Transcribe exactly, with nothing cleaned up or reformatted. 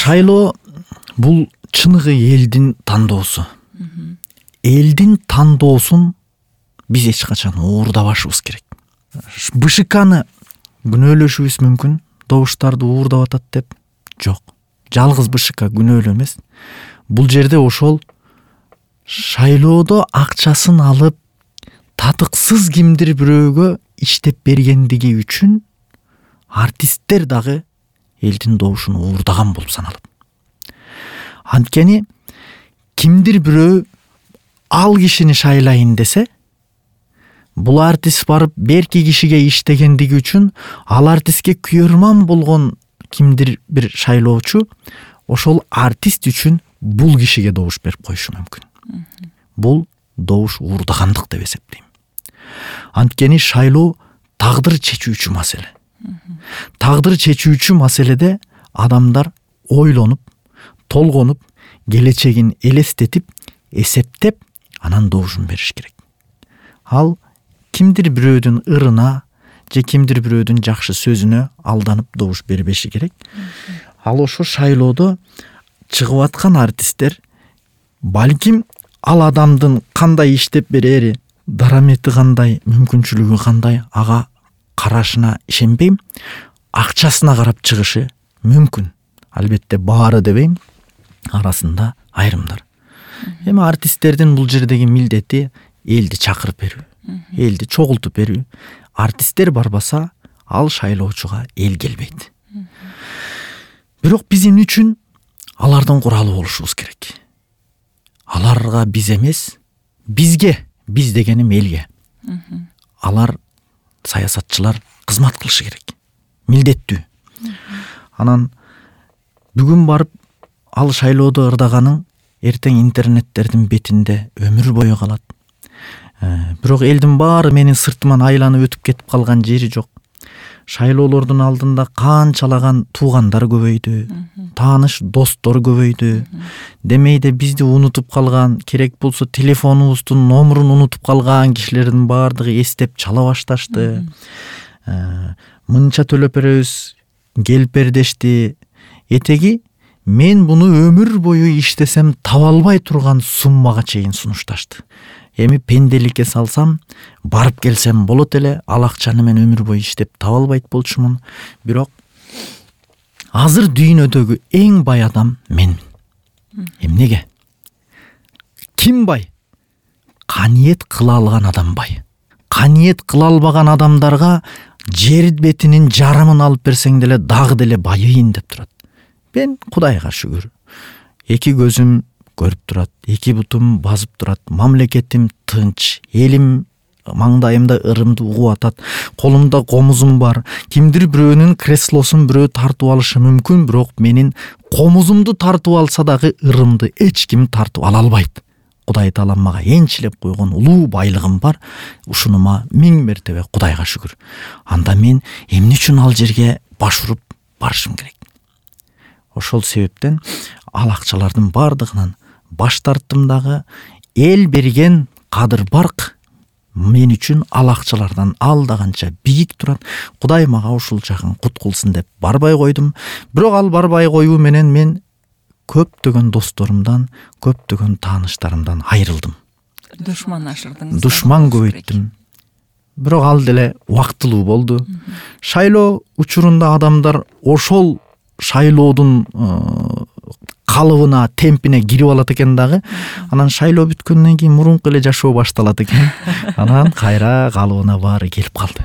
Шайлоо бул чыныгы элдин тандоосу. Элдин тандоосун биз эч качан уурдабашыбыз керек. БШКны күнөөлөшүбүз мүмкүн, добуштарды уурдап атат деп. Жок. Жалгыз БШК күнөөлүү эмес. Бул жерде ошол шайлоодо акчасын алып татыксыз кимдир бирөөгө иштеп бергендиги үчүн артисттер дагы элдин добушун уурдаган болуп саналат. Анткени кимдир бирөө ал кишини шайлайын десе, бул артист барып берки кишиге иштегендиги үчүн ал артистке күйөрман болгон кимдир бир шайлоочу ошол артист үчүн бул кишиге добуш берип коюшу мүмкүн. Бул добуш уурдагандык деп эсептейм. Анткени шайлоо тагдыр чечүүчү маселе. Тагдыр чечүүчү маселеде адамдар ойлонуп, толгонуп, келечегин элестетип, эсептеп, анан добушун бериш керек. Ал кимдир бирөөдүн ырына же кимдир бирөөдүн жакшы сөзүнө алданып добуш бербеши керек. Ал ошо шайлоодо чыгып аткан артисттер балким ал адамдын кандай иштеп берери, дарамети кандай, мүмкүнчүлүгү кандай, ага карашына ишенбейм, акчасына карап чыгышы мүмкүн. Албетте баары дебейм, арасында айрымдар. Эми артисттердин бул жердеги милдети элди чакырып берүү, элди чогултуп берүү. Артисттер барбаса, ал шайлоочуга эл келбейт. Бирок биз эмне үчүн алардын куралы болушубуз керек? Аларга биз эмес, бизге, биз дегеним элге. Алар саясатчылар кызмат кылышы керек. Милдеттүү. Анан бүгүн барып ал шайлоодо ырдаганың эртең интернеттердин бетинде өмүр бою калат. Бирок элдин баары менин сыртыман айланып өтүп кетип калган жери жок. Шайлоолордун алдында канчалаган туугандар көбөйдү, тааныш достор көбөйдү. Демейде бизди унутуп калган, керек болсо телефонубуздун номурун унутуп калган кишилердин баардыгы эстеп чала башташты. Мынча төлөп беребиз, келип бер дешти. Этеги мен буну өмүр бою иштесем таба албай турган суммага чейин сунушташты. Эми пенделикке салсам, барып келсем болот эле, ал акчаны мен өмүр бою иштеп таба албайт болчумун. Бирок азыр дүйнөдөгү эң бай адам менмин. Эмнеге? Ким бай? Каниет кыла алган адам бай. Каниет кыла албаган адамдарга жер бетинин жарымын алып берсең деле дагы деле байыйын деп турат. Мен Кудайга шүгүр. Эки көзүм көрүп турат, эки бутум басып турат, мамлекетим тынч, элим маңдайымда ырымды угуп атат, колумда комузум бар. Кимдир бирөөнүн креслосун бирөө тартып алышы мүмкүн, бирок менин комузумду тартып алса дагы ырымды эч ким тартып ала албайт. Кудай Таала мага энчилеп койгон улуу байлыгым бар. Ушунума миң мертебе Кудайга шүгүр. Анда мен эмне үчүн ал жерге баш уруп барышым керек? Ошол себептен ал акчалардын бардыгынан баш тарттым дагы. Эл берген кадыр барк мен үчүн ал акчалардан алдаганча бийик турат. Кудай мага ушул жагын кут кылсын деп барбай койдум. Бирок ал барбай коюу менен мен көптөгөн досторумдан, көптөгөн тааныштарымдан айрылдым. Душман ашырдыңыз. Душман көбөйттүм. Бирок ал деле убактылуу болду. Шайлоо учурунда адамдар ошол шайлоодун калыбына, темпине кирип алат экен дагы. Анан шайлоо бүткөндөн кийин мурунку эле жашоо башталат экен. Анан кайра калыбына баары келип калды.